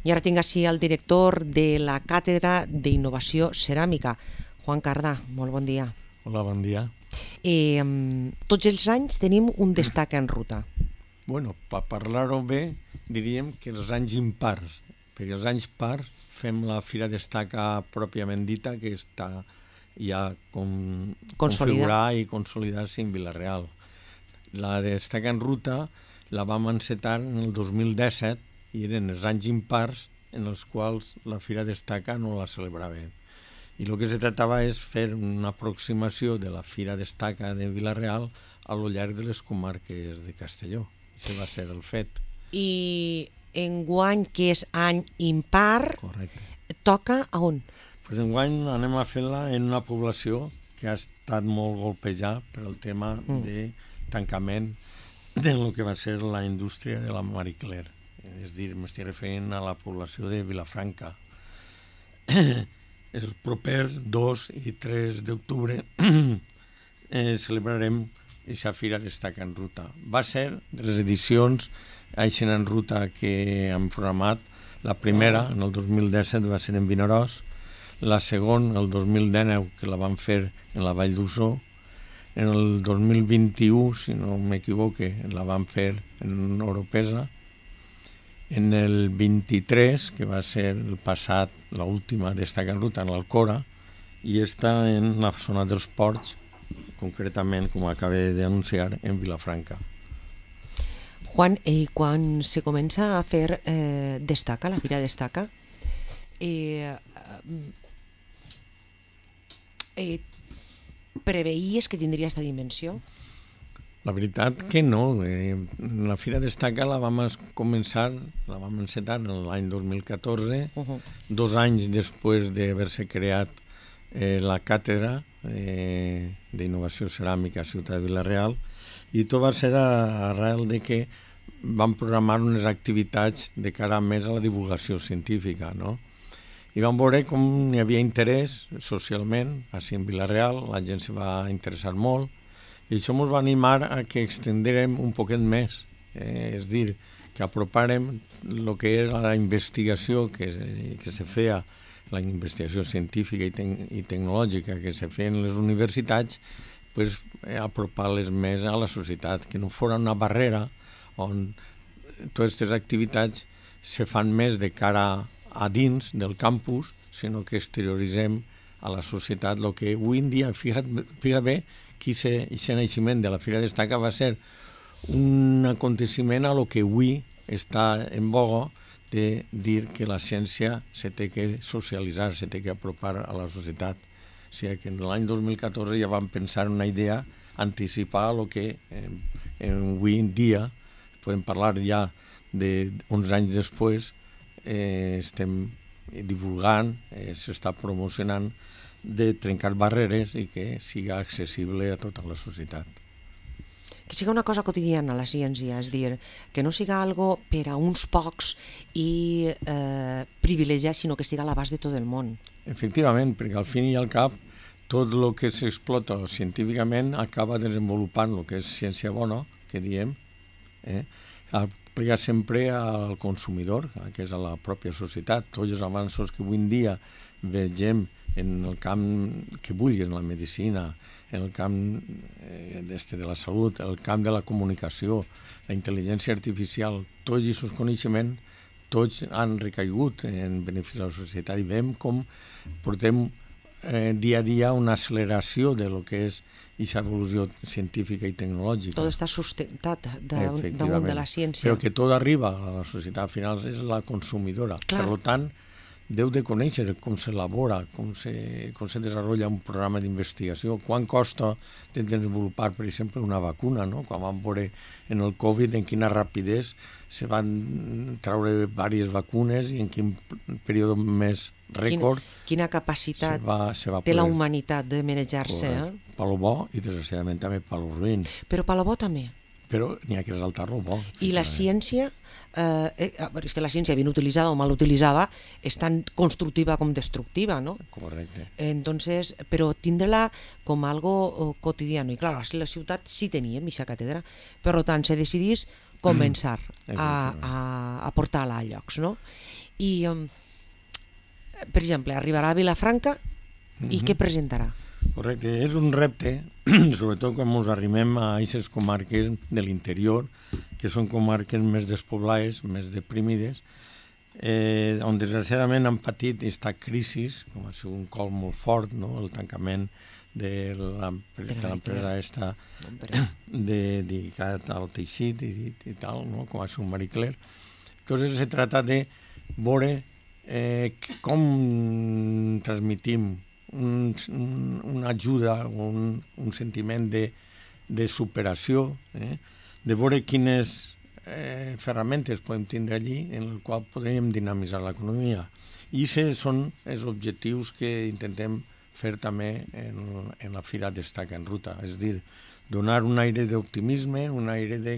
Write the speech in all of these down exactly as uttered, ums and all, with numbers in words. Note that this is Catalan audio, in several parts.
I ara tinc així el director de la Càtedra d'Innovació Ceràmica, Juan Cardà. Molt bon dia. Hola, bon dia. Eh, tots els anys tenim un Destaca en Ruta. Bueno, per parlar-ho bé, diríem que els anys impars, perquè els anys pars fem la Fira Destaca pròpiament dita, que està ja com, configurar i consolidar-se en Vila-real. La Destaca en Ruta la vam encetar en el dos mil disset i eren els anys impars en els quals la Fira Destaca no la celebràvem. I el que se tractava és fer una aproximació de la Fira Destaca de Vila-real a lo llarg de les comarques de Castelló. I això va ser el fet. I enguany, que és any impar, Correcte. Toca a on? Pues enguany anem a fer-la en una població que ha estat molt golpejada per el tema mm. de tancament de lo que va ser la indústria de la Marie Claire. És dir, m'estic referint a la població de Vilafranca. Els propers dos i tres d'octubre eh, celebrarem aquesta Fira Destaca en Ruta. Va ser de les edicions Aixen en Ruta que hem programat. La primera, en el dos mil disset, va ser en Vinaròs. La segona, el dos mil dinou, que la vam fer en la Vall d'Uixó. En el dos mil vint-i-u, si no m'equivoque, la vam fer en Oropesa. En el vint-i-tres, que va ser el passat, l'última Destaca en Ruta, en l'Alcora, i està en la zona dels ports, concretament, com acabé d'anunciar, en Vilafranca. Juan, eh, quan se comença a fer eh, Destaca, la Fira Destaca, eh, eh, preveies que tindria aquesta dimensió? La veritat que no. Eh, la Fira Destaca la vam començar, la vam encetar l'any dos mil catorze, uh-huh. dos anys després d'haver-se creat eh, la Càtedra eh, d'Innovació Ceràmica a Ciutat de Vila-real, i tot va ser arrel de que vam programar unes activitats de cara més a la divulgació científica, no? I vam veure com hi havia interès socialment, així en Vila-real, la gent se va interessar molt, i això ens va animar a que extendérem un poquet més, eh, és dir, que apropàrem el que era la investigació que, que se feia, la investigació científica i, te i tecnològica que se feia en les universitats, pues, eh, apropar-les més a la societat, que no fos una barrera on totes aquestes activitats se fan més de cara a dins del campus, sinó que exterioritzem a la societat el que avui en dia, fija't, fija't bé, que aquest naixement de la Fira Destaca va ser un aconteciment a lo que avui està en boga de dir que la ciència se té que socialitzar, se té que apropar a la societat. O sigui que en l'any dos mil catorze ja vam pensar una idea, anticipar el que eh, avui en dia, podem parlar ja d'uns anys després, eh, estem divulgant, eh, s'està promocionant, de trencar barreres i que siga accessible a tota la societat. Que siga una cosa quotidiana la ciència, és dir, que no siga algo per a uns pocs i eh, privilegiat, sinó que estigui a l'abast de tot el món. Efectivament, perquè al fin i al cap tot el que s'explota científicament acaba desenvolupant el que és ciència bona, que diem, eh? aplicar sempre al consumidor, que és a la pròpia societat. Tots els avanços que avui en dia vegem en el camp que vulguis, en la medicina, en el camp eh, de la salut, el camp de la comunicació, la intel·ligència artificial, tots aquests coneixements, tots han recaigut en benefici de la societat i veiem com portem eh, dia a dia una acceleració de lo que és aquesta evolució científica i tecnològica. Tot està sustentat damunt de la ciència. Però que tot arriba a la societat, al final és la consumidora. Clar. Per tant, deu de conèixer com s'elabora, com se, com se desenvolupa un programa d'investigació, quan costa de desenvolupar, per exemple, una vacuna, no? Quan vam veure en el Covid en quina rapidesa se van treure diverses vacunes i en quin període més rècord... Quina, quina capacitat se va, se va té la humanitat de manejar-se. Eh? Per lo bo i, desgraciadament, també per lo ruïn. Però per lo bo també. Però n'hi ha que resaltar-lo bo. I la ciència, eh, eh, és que la ciència ben utilitzada o mal utilitzada és tan constructiva com destructiva, ¿no? Correcte. Entonces, però tindre-la com algo quotidiano. I clar, a la ciutat sí teníem aquesta càtedra, per tant, se decidís començar a, a, a portar-la a llocs, no? I, um, per exemple, arribarà a Vilafranca i mm-hmm. què presentarà? Correcte, és un repte, sobretot quan ens arribem a aquestes comarques de l'interior, que són comarques més despoblades, més deprimides, eh, on desgraciadament han patit aquesta crisi, com ha sigut un col molt fort, no? El tancament de l'empresa esta dedicat al teixit i, i tal, no? Com ha sigut Marie Claire. Entonces se trata de veure eh, com transmitim un, una ajuda, un, un sentiment de, de superació, eh? De veure quines eh, ferramentes podem tindre allí en el qual podem dinamitzar l'economia. I aquests són els objectius que intentem fer també en, en la Fira Destaca en Ruta, és a dir, donar un aire d'optimisme, un aire de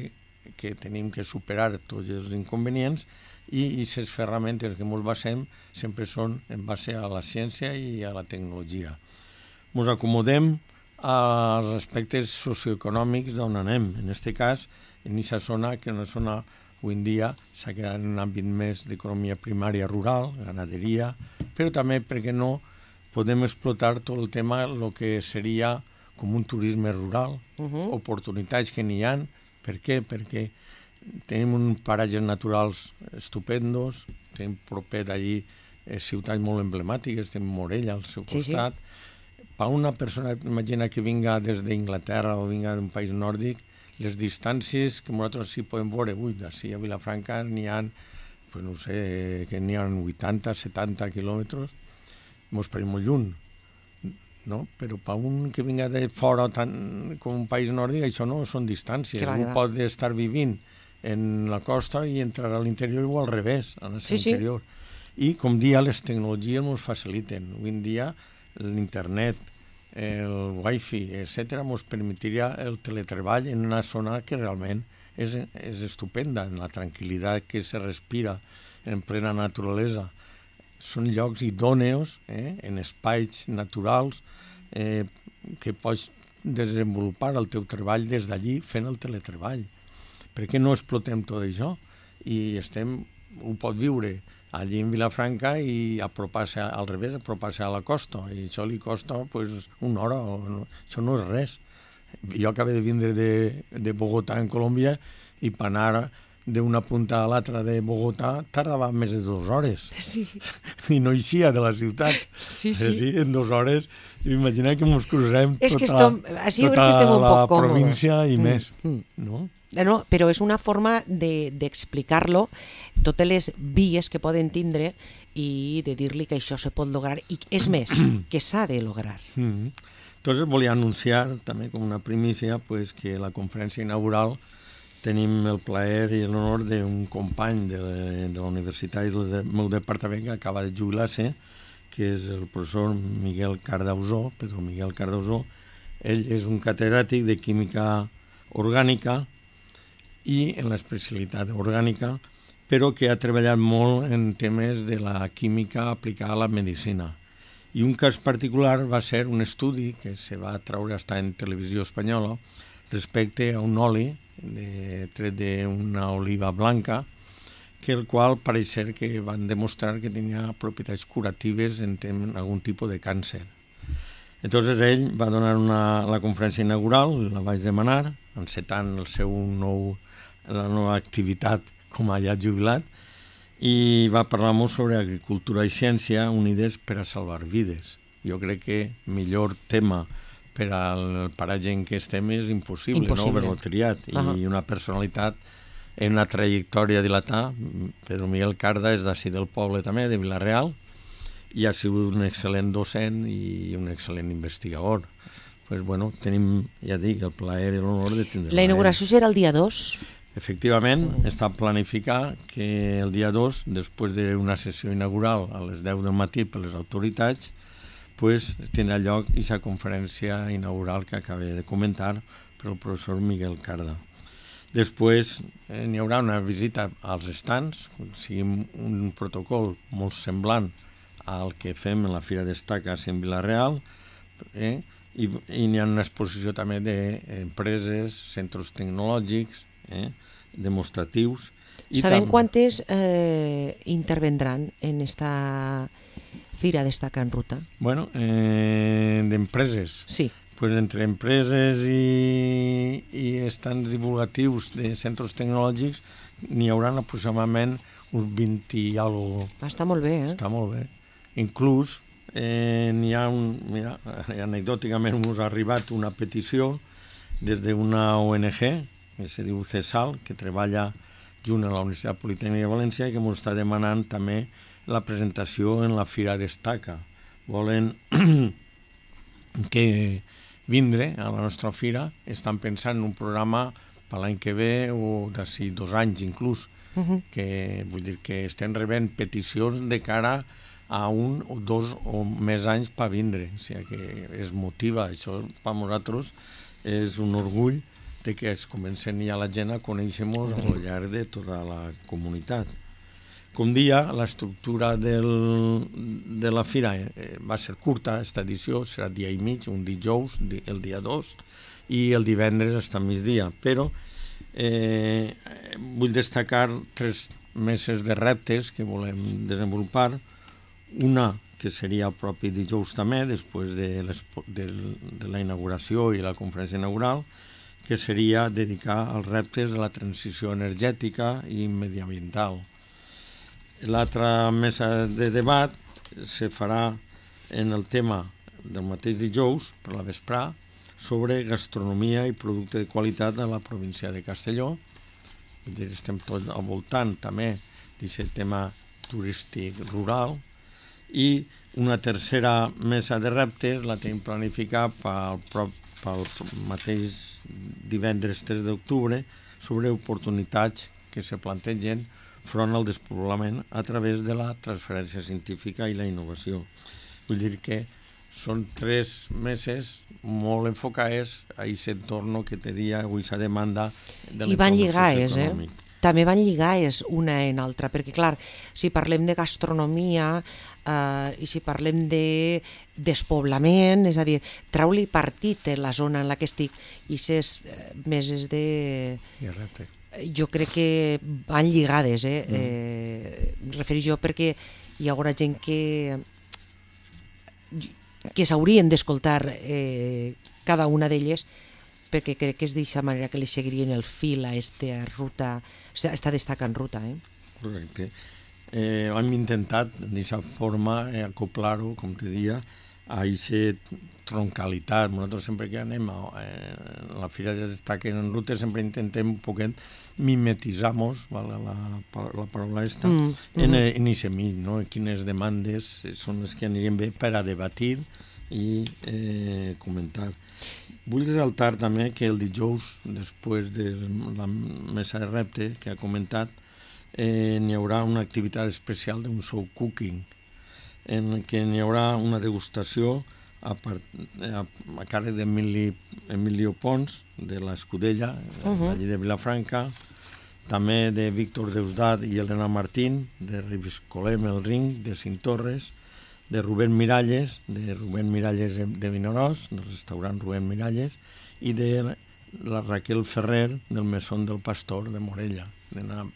que tenim que superar tots els inconvenients i aquestes ferramentes que ens basem sempre són en base a la ciència i a la tecnologia. Ens acomodem als aspectes socioeconòmics d'on anem. En aquest cas, en aquesta zona, que és una zona avui en dia s'ha quedat en un àmbit més d'economia primària rural, ganaderia, però també, per què no, podem explotar tot el tema, el que seria com un turisme rural, uh-huh. oportunitats que n'hi ha. Per què? Perquè tenim uns paratges naturals estupendos, tenim proper d'allí eh, ciutats molt emblemàtiques, tenim Morella al seu costat. Sí, sí. Per una persona, imagina que vinga des d'Inglaterra o vinga d'un país nòrdic, les distàncies que nosaltres sí podem veure, ui, d'ací a Vilafranca n'hi ha, pues no sé, que n'hi ha vuitanta, setanta quilòmetres, mos pareix molt lluny, no? Però per un que vinga de fora tant com un país nòrdic, això no són distàncies. Un pot estar vivint en la costa i entrar a l'interior o al revés, a l'interior. Sí, sí. I, com dia, les tecnologies ens faciliten. Avui en dia, l'internet, el wifi, etcètera, ens permetiria el teletreball en una zona que realment és, és estupenda, en la tranquil·litat que se respira en plena naturalesa. Són llocs idòneos, eh, en espais naturals, eh, que pots desenvolupar el teu treball des d'allí fent el teletreball. Per què no explotem tot això? I estem, ho pot viure allí en Vilafranca i apropar-se al revés, apropar-se a la costa. I això li costa pues, una hora, o no, això no és res. Jo acabo de vindre de, de Bogotà, en Colòmbia, i per anar d'una punta a l'altra de Bogotà tardava més de dues hores. Sí. I no eixia de la ciutat. Sí, sí. sí en dues hores, imagina que ens cruzem és que tota, estom, així tota que estem un la poc província i mm. més. Mm. No? No, però és una forma d'explicar-lo, de, totes les vies que poden tindre i de dir-li que això se pot lograr. I és més, que s'ha de lograr. Mm. Entonces volia anunciar, també com una primícia, pues, que la conferència inaugural tenim el plaer i l'honor d'un company de, de la universitat i del meu departament que acaba de jubilar-se, que és el professor Miguel Cardausó, Pedro Miguel Cardausó. Ell és un catedràtic de química orgànica i en l'especialitat orgànica, però que ha treballat molt en temes de la química aplicada a la medicina. I un cas particular va ser un estudi que se va treure estar en televisió espanyola respecte a un oli de, tret d'una oliva blanca, que el qual pareix ser que van demostrar que tenia propietats curatives en, en algun tipus de càncer. Entonces ell va donar una, la conferència inaugural, la vaig demanar, encetant el seu nou, la nova activitat com a ja jubilat, i va parlar molt sobre agricultura i ciència unides per a salvar vides. Jo crec que millor tema per al paratge en què estem és impossible, impossible. No haver-lo triat. Uh-huh. I una personalitat en una trajectòria dilatada, Pedro Miguel Carda és d'ací del poble també, de Vila-real, i ha sigut un excel·lent docent i un excel·lent investigador. Pues bueno, tenim, ja dic, el plaer i l'honor de tindre. La inauguració serà el dia dos? Efectivament, mm. està planificat que el dia dos, després d'una sessió inaugural a les deu del matí per les autoritats, pues, tindrà lloc aquesta conferència inaugural que acabé de comentar per el professor Miguel Carda. Després eh, n'hi haurà una visita als estants, sigui un protocol molt semblant al que fem en la Fira Destaca en Vila-real, eh, i, i n'hi ha una exposició també d'empreses, centres tecnològics, eh, demostratius, Sabem quantes eh, intervendran en esta Fira Destaca en Ruta? Bueno, eh, d'empreses. Sí. Pues entre empreses i, i estants divulgatius de centres tecnològics n'hi haurà aproximadament uns vint i algo. Està molt bé, eh? Està molt bé. Inclús eh, n'hi ha un... Mira, anecdòticament us ha arribat una petició des d'una O N G, que se diu CESAL, que treballa junt a la Universitat Politècnica de València i que ens està demanant també la presentació en la Fira Destaca. Volen que vindre a la nostra fira, estan pensant en un programa per l'any que ve o d'ací dos anys inclús, uh-huh. que vull dir que estem rebent peticions de cara a un o dos o més anys per vindre, o sigui que es motiva, això per nosaltres és un orgull de que es comencen ja la gent a conèixer-nos al llarg de tota la comunitat. Com dia, l'estructura del, de la fira eh, va ser curta, aquesta edició serà dia i mig, un dijous, el dia dos, i el divendres està a migdia, però eh, vull destacar tres meses de reptes que volem desenvolupar. Una, que seria el propi dijous també, després de, de, de la inauguració i la conferència inaugural, que seria dedicar als reptes de la transició energètica i mediambiental. L'altra mesa de debat se farà en el tema del mateix dijous, per la vesprà, sobre gastronomia i producte de qualitat a la província de Castelló. Vull dir, estem tots al voltant també d'aquest tema turístic rural. I una tercera mesa de reptes la tenim planificada pel, pel mateix divendres tres d'octubre sobre oportunitats que se plantegen front al despoblament a través de la transferència científica i la innovació. Vull dir que són tres meses molt enfocades a aquest entorn que tenia aquesta demanda de l'entorn socioeconòmic. Eh? També van lligades una en altra, perquè clar, si parlem de gastronomia eh, i si parlem de despoblament, és a dir, trau-li partit en la zona en la que estic, i ses eh, meses de... I repte. Jo crec que van lligades, eh? Mm. eh referir jo perquè hi haurà gent que que s'haurien d'escoltar eh, cada una d'elles, perquè crec que és d'aquesta manera que li seguirien el fil a esta ruta, esta Destaca en Ruta. Eh? Correcte. Eh, hem intentat, d'aquesta forma, eh, acoplar-ho, com te dia, a aquesta troncalitat. Nosaltres sempre que anem a eh, la Fira de Destaca en Ruta sempre intentem un poquet mimetitzar-nos, la, la, la paraula esta, mm, mm. en aquest mig, no? Quines demandes són les que anirien bé per a debatir i eh, comentar. Vull resaltar també que el dijous, després de la mesa de repte que ha comentat, eh, n'hi haurà una activitat especial d'un show cooking, en què n'hi haurà una degustació a, part, a, a càrrec d'Emilio Pons, de l'Escudella, uh-huh. allí de Vilafranca, també de Víctor Deusdat i Elena Martín, de Ribiscolem el Ring, de Cintorres, de Rubén Miralles, de Rubén Miralles de Vinaròs, del restaurant Rubén Miralles, i de la Raquel Ferrer, del Mesón del Pastor, de Morella, de una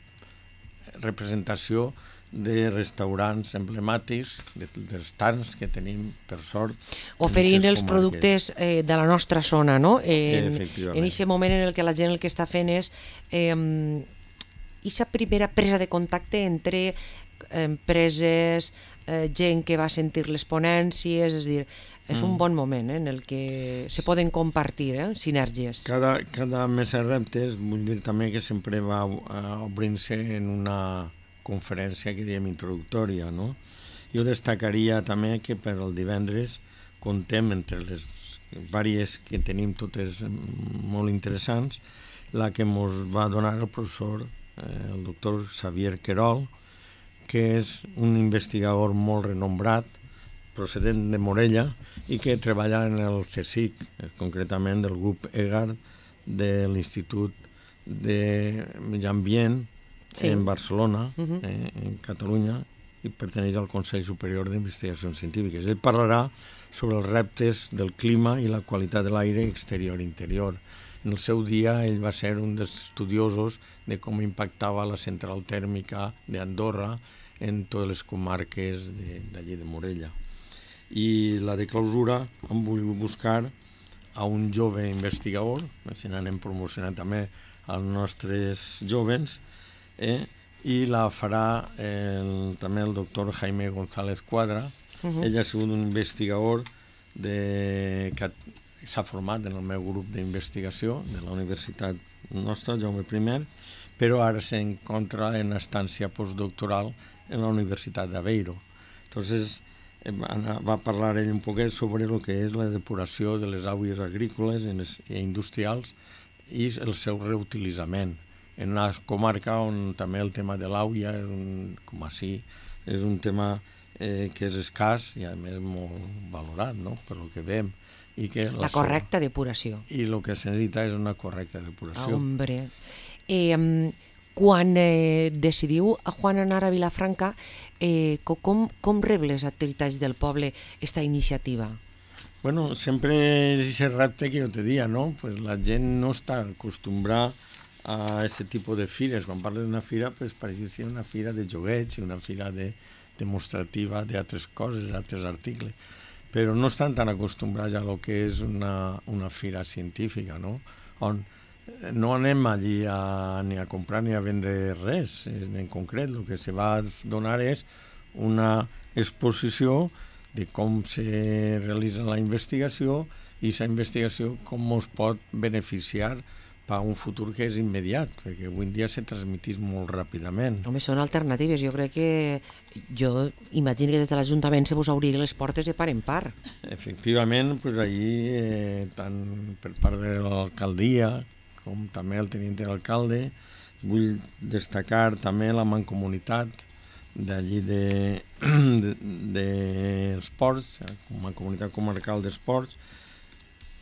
representació de restaurants emblemàtics, de, dels tants que tenim, per sort. Oferint els comarques. Productes eh, de la nostra zona, no? En, Efectivament. En aquest moment en el que la gent el que està fent és eh, aquesta primera presa de contacte entre empreses, eh, gent que va sentir les ponències, és a dir, és mm. un bon moment eh, en el que se poden compartir eh, sinergies. Cada, cada mesa de reptes, vull dir també que sempre va obrint-se en una conferència que diem introductòria, no? Jo destacaria també que per al divendres contem entre les vàries que tenim totes molt interessants, la que ens va donar el professor, eh, el doctor Xavier Querol, que és un investigador molt renombrat, procedent de Morella, i que treballa en el CSIC, concretament del grup EGAR de l'Institut de Medi Ambient, sí. en Barcelona, uh-huh. eh, en Catalunya, i perteneix al Consell Superior d'Investigacions Científiques. Ell parlarà sobre els reptes del clima i la qualitat de l'aire exterior i interior. en el seu dia ell va ser un dels estudiosos de com impactava la central tèrmica d'Andorra en totes les comarques d'allí de Morella. I la de clausura hem volgut buscar a un jove investigador, així anem promocionant també als nostres jovens, eh? I la farà el, també el doctor Jaime González Cuadra. Uh-huh. Ell ha sigut un investigador de, que s'ha format en el meu grup d'investigació de la universitat nostra, Jaume I, però ara s'encontra en estància postdoctoral en la Universitat d'Aveiro. Entonces, va parlar ell un poquet sobre el que és la depuració de les aigües agrícoles i industrials i el seu reutilitzament en una comarca on també el tema de l'aigua, com així, és un tema eh, que és escàs i a més molt valorat, no?, per lo que veiem. I que la, la correcta depuració. I el que es necessita és una correcta depuració. Hombre. Eh, quan eh, decidiu, Juan, anar a Vilafranca, eh, com, com rep les activitats del poble esta iniciativa? Bueno, sempre és aquest repte que jo te dia, no? Pues la gent no està acostumbrada a aquest tipus de fires. Quan parles d'una fira, pues, pareix que sigui una fira de joguets i una fira de, demostrativa d'altres coses, d'altres articles. Però no estan tan acostumbrats a lo que és una, una fira científica, no? On no anem allí a, ni a comprar ni a vendre res. En concret, el que se va donar és una exposició de com se realitza la investigació i aquesta investigació com ens pot beneficiar per un futur que és immediat, perquè avui en dia se transmetís molt ràpidament. Home, són alternatives. Jo crec que... Jo imagino que des de l'Ajuntament se vos obririen les portes de part en part. Efectivament, pues allí, eh, tant per part de l'alcaldia com també el tenint d'alcalde, vull destacar també la mancomunitat d'allí de, de, de Esports, la Mancomunitat Comarcal d'Esports,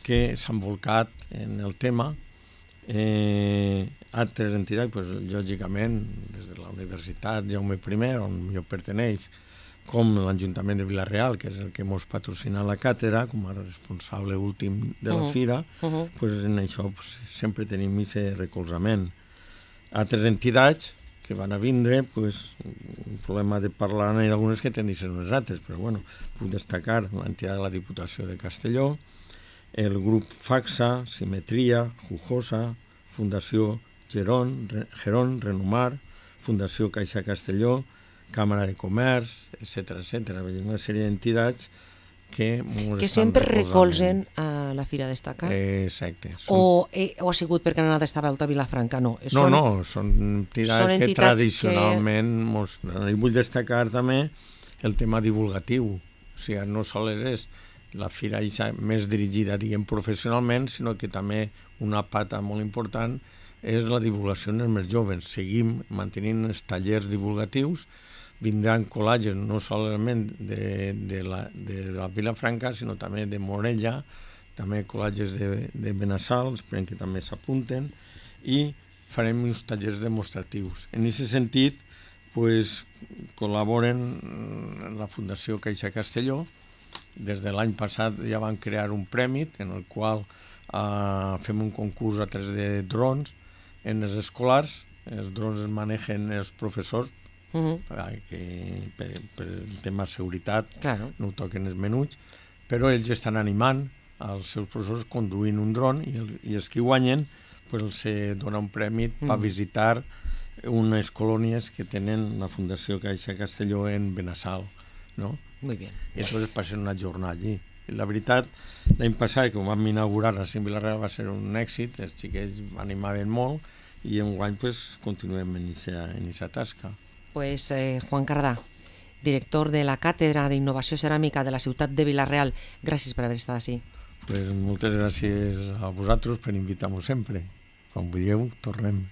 que s'han volcat en el tema. Eh, altres entitats, pues, lògicament, des de la Universitat Jaume I, on jo perteneix, com l'Ajuntament de Vila-real, que és el que ens patrocina la càtedra, com a responsable últim de la uh-huh. fira, uh-huh. pues, en això pues, sempre tenim aquest recolzament. Altres entitats que van a vindre, pues, un problema de parlar n'hi ha algunes que tenen de ser unes altres, però bueno, puc destacar l'entitat de la Diputació de Castelló, el grup FACSA, Simetria, Jujosa, Fundació Geron, Geron, Renomar, Fundació Caixa Castelló, Càmera de Comerç, etcètera, etcètera. Una sèrie d'entitats que... Que sempre recolzen a la Fira d'Estaca? Exacte. Són... O, eh, o ha sigut perquè han anat a estar a volta a Vilafranca? No, no, són... no, són entitats, són entitats que tradicionalment... Que... Mos... I vull destacar també el tema divulgatiu. O sigui, no sols és la fira més dirigida, diguem, professionalment, sinó que també una pata molt important és la divulgació en els més joves. Seguim mantenint els tallers divulgatius, vindran col·lages no solament de, de, la, de la Vilafranca, sinó també de Morella, també col·lages de, de Benassal, esperem que també s'apunten, i farem uns tallers demostratius. En aquest sentit, pues, col·laboren la Fundació Caixa Castelló. Des de l'any passat ja van crear un premi en el qual eh, fem un concurs a través de drons en els escolars. Els drons es manegen els professors uh-huh. perquè per, per el tema seguretat claro. No ho toquen els menuts, però ells estan animant els seus professors conduint un dron i, el, i els que guanyen pues, els dona un premi uh-huh. per visitar unes colònies que tenen la Fundació Caixa Castelló en Benassal, no? Muy bien. I entonces passen una jornada allí. I la veritat, l'any passat, que ho vam inaugurar a Vilareal, va ser un èxit, els xiquets animaven molt i enguany pues, continuem en aquesta tasca. Pues eh, Juan Cardà, director de la Càtedra d'Innovació Ceràmica de la ciutat de Vila-real, gràcies per haver estat així. Pues moltes gràcies a vosaltres per invitar-nos sempre. Quan vulgueu, tornem.